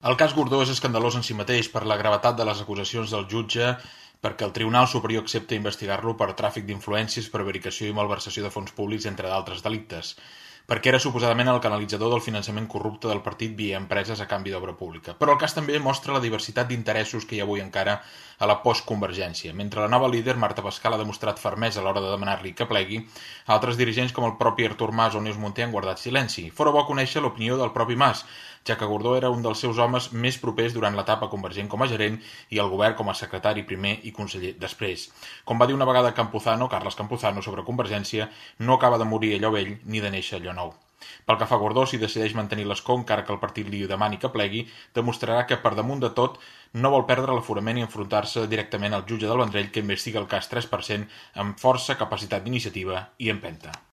El cas Gordó és escandalós en si mateix per la gravetat de les acusacions del jutge, perquè el Tribunal Superior accepta investigar-lo per tràfic d'influències, prevaricació i malversació de fons públics, entre d'altres delictes, perquè era suposadament el canalitzador del finançament corrupte del partit via empreses a canvi d'obra pública. Però el cas també mostra la diversitat d'interessos que hi ha avui encara a la postconvergència. Mentre la nova líder, Marta Pascal, ha demostrat fermesa a l'hora de demanar-li que plegui, altres dirigents com el propi Artur Mas o Neus Munté han guardat silenci. Fora bo conèixer l'opinió del propi Mas, ja que Gordó era un dels seus homes més propers durant l'etapa convergent com a gerent i el govern com a secretari primer i conseller després. Com va dir una vegada Carles Campuzano sobre Convergència, no acaba de morir allò vell ni de néixer allò nou. Pel que fa a Gordó, si decideix mantenir l'escó encara que el partit li demani que plegui, demostrarà que per damunt de tot no vol perdre l'aforament i enfrontar-se directament al jutge del Vendrell que investiga el cas 3% amb força, capacitat d'iniciativa i empenta.